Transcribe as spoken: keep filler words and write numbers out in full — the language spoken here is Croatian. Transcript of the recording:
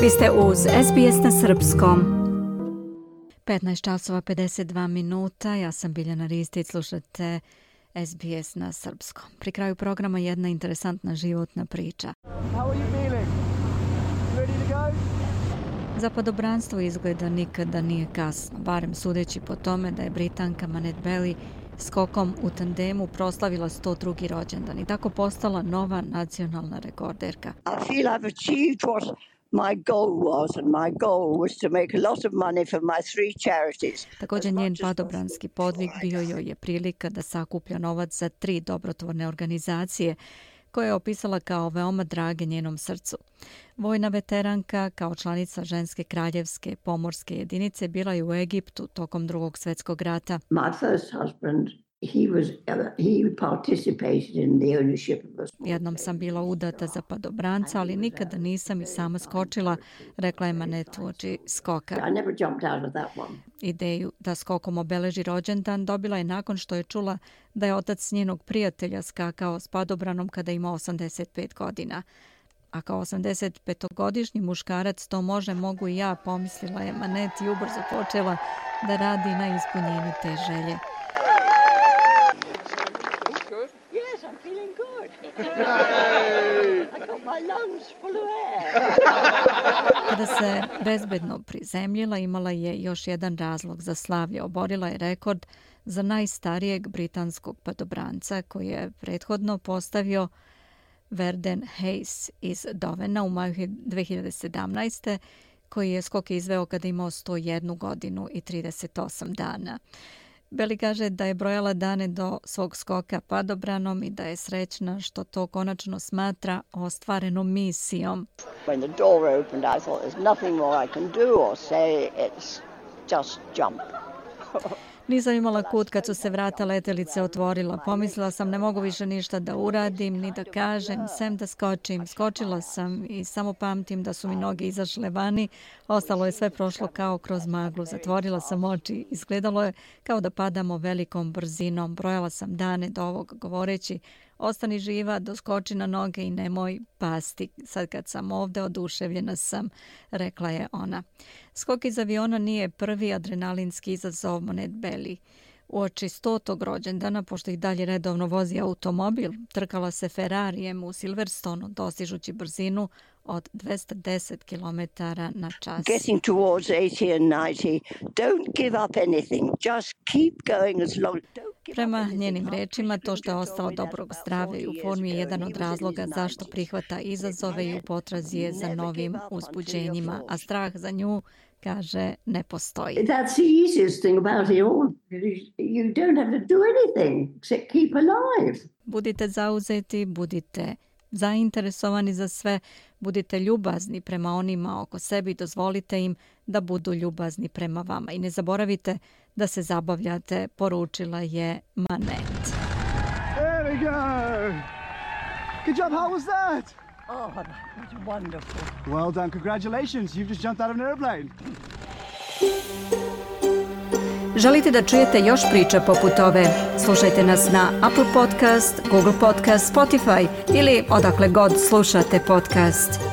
Vi ste uz S B S na srpskom. petnaest časova pedeset dva minuta. Ja sam Biljana Ristić, slušate S B S na srpskom. Pri kraju programa jedna interesantna životna priča. Za padobranstvo izgleda nikada nije kasno, barem sudeći po tome da je Britanka Manette Belly skokom u tandemu proslavila sto drugi rođendan i tako postala nova nacionalna rekorderka. I feel I've achieved what my goal was, and my goal was to make a lot of money for my three charities. Također njen padobranski podvig bio joj je prilika da sakuplja novac za tri dobrotvorne organizacije koje je opisala kao veoma drage njenom srcu. Vojna veteranka kao članica ženske kraljevske pomorske jedinice bila je u Egiptu tokom Drugog svjetskog rata. My first husband, he was he participated in the ownership of a small... Jednom sam bila udata za padobranca, ali nikada nisam i sama skočila, rekla je Manette uoči skoka. I never jumped out of that one. Ideju da skokom obeleži rođendan dobila je nakon što je čula da je otac njenog prijatelja skakao s padobranom kada ima osamdeset pet godina. A kao osamdesetpetogodišnji muškarac to može, mogu i ja, pomislila je Manette i ubrzo počela da radi na ispunjenju te želje. Yes, I'm feeling good. I got my lungs full of air. Kada se bezbedno prizemljila, imala je još jedan razlog za slavlje. Oborila je rekord za najstarijeg britanskog padobranca koji je prethodno postavio Verden Hayes iz Dovena u maju dve hiljade sedamnaeste. koji je skok izveo kada imao sto jednu godinu i trideset osam dana. Belly kaže da je brojala dane do svog skoka padobranom i da je srećna što to konačno smatra ostvarenom misijom. When the door opened, I thought there's nothing more I can do or say, it's just jump. Nisam imala kut kad su se vrata letelice otvorila. Pomislila sam ne mogu više ništa da uradim, ni da kažem, sem da skočim. Skočila sam i samo pamtim da su mi noge izašle vani. Ostalo je sve prošlo kao kroz maglu. Zatvorila sam oči. Izgledalo je kao da padamo velikom brzinom. Brojala sam dane do ovog govoreći: ostani živa, doskoči na noge i nemoj pasti. Sad kad sam ovde, oduševljena sam, rekla je ona. Skok iz aviona nije prvi adrenalinski izazov Manette Belly. Uoči stotog rođendana, pošto ih dalje redovno vozi automobil, trkala se Ferrarijem u Silverstonu, dostižući brzinu od dvesta deset kilometara na čas. Getting towards eighty and ninety, don't give up anything, just keep going as long. Prema njenim rečima, to što je ostalo dobrog zdravlja i u formi je jedan od razloga zašto prihvata izazove i u potrazi je za novim uzbuđenjima, a strah za nju, kaže, ne postoji. That's the easiest thing about it all. You don't have to do anything except keep alive. Budite zauzeti, budite zainteresovani za sve, budite ljubazni prema onima oko sebe i dozvolite im da budu ljubazni prema vama. I ne zaboravite da se zabavljate, poručila je Manette. There we go! Good job, how was that? Oh, that was wonderful. Well done, congratulations, you've just jumped out of an airplane. Želite da čujete još priča poput ove? Slušajte nas na Apple Podcast, Google Podcast, Spotify ili odakle god slušate podcast.